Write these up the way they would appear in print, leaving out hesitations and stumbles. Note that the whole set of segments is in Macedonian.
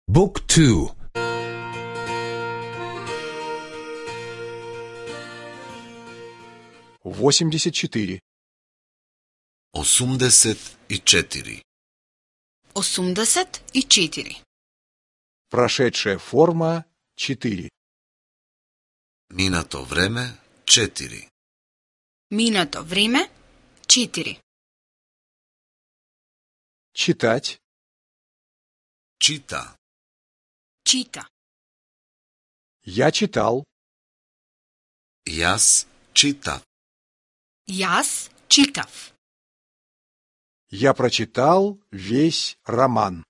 Book 2. 84. 84. 84. Прошедшая форма 4. Минато време 4. Минато време 4. Читать. Чита. Чита. Я читал. Јас читав. Јас читав. Я прочитал весь роман.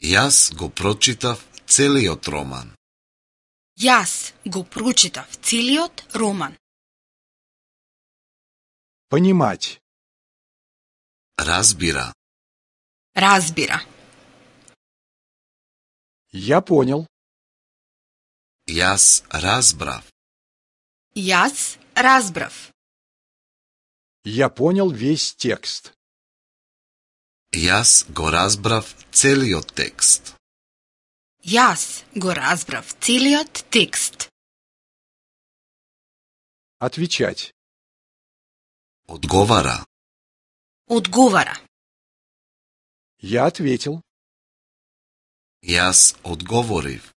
Јас го прочитав целиот роман. Јас го прочитав целиот роман. Понимать. Разбира. Разбира. Я понял. Јас разбрав. Јас разбрав. Я понял весь текст. Јас го разбрав целиот текст. Јас го разбрав целиот текст. Отвечать. Одговара. Одговара. Я ответил. Јас одговорив.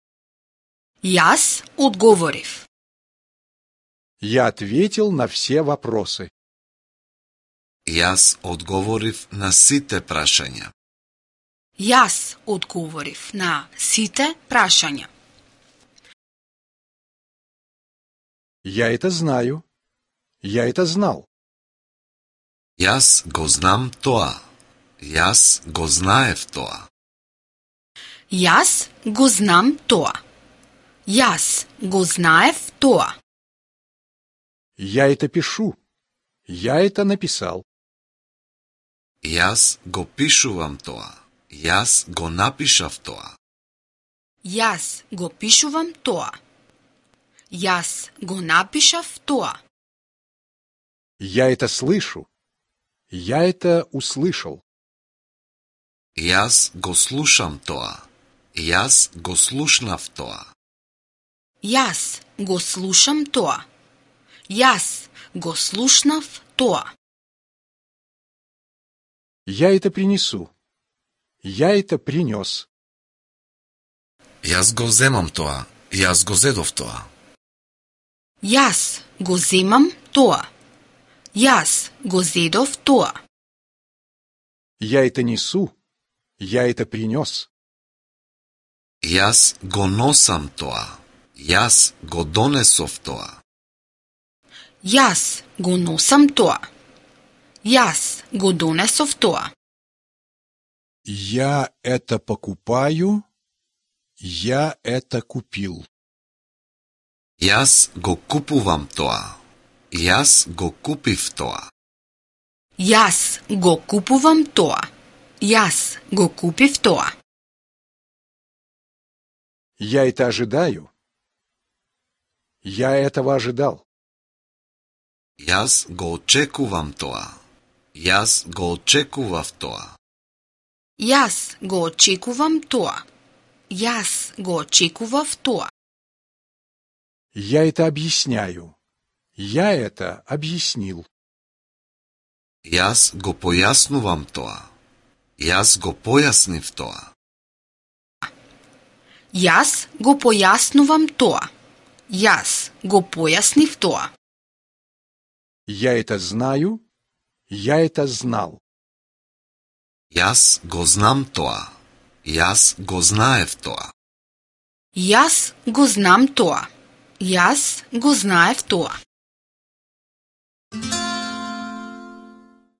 Јас одговорив. Я ответил на все вопросы. Јас одговорив на сите прашања. Јас одговорив на сите прашања. Я это знаю. Я это знал. Јас го знам тоа. Јас го знаев тоа. Јас го знам тоа. Јас го знаев тоа. Я это пишу. Я это написал. Јас го пишувам тоа. Јас го напишав тоа. Јас го пишувам тоа. Јас го напишав тоа. Я это слышу. Я это услышал. Јас го слушам тоа. Јас го слушнав тоа. Јас го слушам тоа. Јас го слушнав тоа. Я это принесу. Я это принес. Јас го земам тоа. Јас го зедов тоа. Јас го земам тоа. Јас го зедов тоа. Я это несу. Я это принес. Јас го носам тоа. Јас го донесов тоа. Јас го носам тоа. Јас го донесов тоа. Я это покупаю. Я это купил. Јас го купувам тоа. Јас го купив тоа. Јас го купувам тоа. Јас го купив тоа. Я это ожидаю. Я этого ожидал. Јас го очекувам тоа. Јас го очекував тоа. Јас го очекувам тоа. Јас го очекував тоа. Я это объясняю. Я это объяснил. Јас го појаснувам тоа. Јас го појаснив тоа. Јас го појаснувам тоа. Јас го појаснив тоа. Я это знаю. Я это знал. Јас го знам тоа. Јас го знаев тоа. Јас го знам тоа. Јас го знаев тоа.